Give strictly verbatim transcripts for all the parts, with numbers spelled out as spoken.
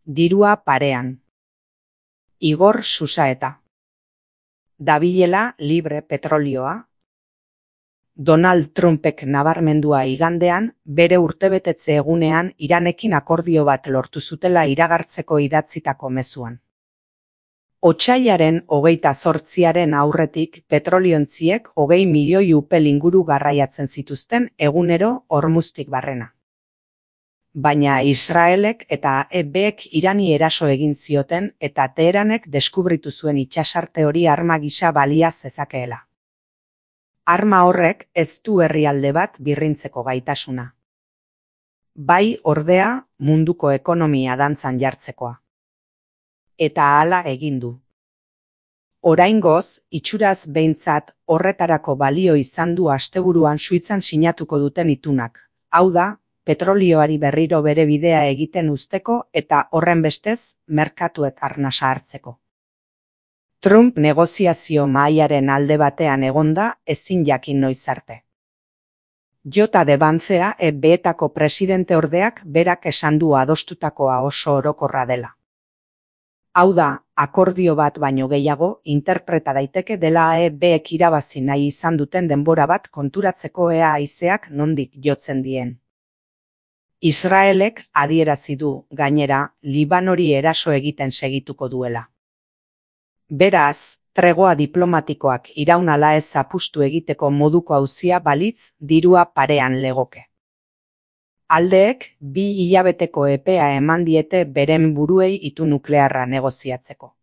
dirua parean. Igor Susaeta. Dabilela libre petrolioa. Donald Trumpek nabarmendua igandean, bere urtebetetze egunean Iranekin akordio bat lortu zutela iragartzeko idatzitako mezuan. Otsailaren hogeita zortziaren aurretik petroliontziek hogei milioi upel inguru garraiatzen zituzten egunero Hormuztik barrena. Baina Israelek eta E Bek Irani eraso egin zioten eta Teheranek deskubritu zuen itsasarte hori arma gisa balia zezakeela. Arma horrek ez du herrialde bat birrintzeko gaitasuna. Bai, ordea, munduko ekonomia dantzan jartzekoa. Eta hala egin du. Oraingoz, itxuraz behintzat horretarako balio izan du asteburuan Suitzan sinatuko duten itunak. Hau da, petrolioari berriro bere bidea egiten uzteko eta horren bestez merkatuek arnasa hartzeko. Trump negoziazio mahaiaren alde batean egonda ezin jakin noiz arte. Jota de Bancea E Betako presidente ordeak berak esan du adostutakoa oso orokorra dela. Hau da, akordio bat baino gehiago interpreta daiteke dela E Bek irabazi nahi izan duten denbora bat konturatzeko ea haizeak nondik jotzen dien. Israelek adierazi du, gainera, Libanori eraso egiten segituko duela. Beraz, tregoa diplomatikoak iraun ala ez apustu egiteko moduko auzia balitz dirua parean legoke. Aldeek bi hilabeteko epea eman diete beren buruei itu nuklearra negoziatzeko.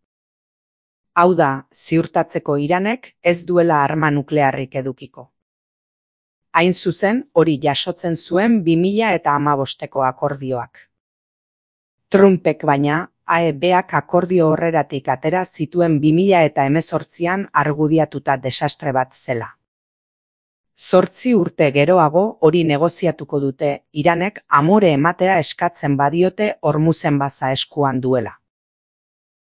Hau da, ziurtatzeko Iranek ez duela arma nuklearrik edukiko. Hain zuzen, hori jasotzen zuen bi mila hamabosteko akordioak. Trumpek baina, E Bak akordio horreratik atera zituen bi mila hemezortzian argudiatuta desastre bat zela. Zortzi urte geroago hori negoziatuko dute, Iranek amore ematea eskatzen badiote Hormuzen baza eskuan duela.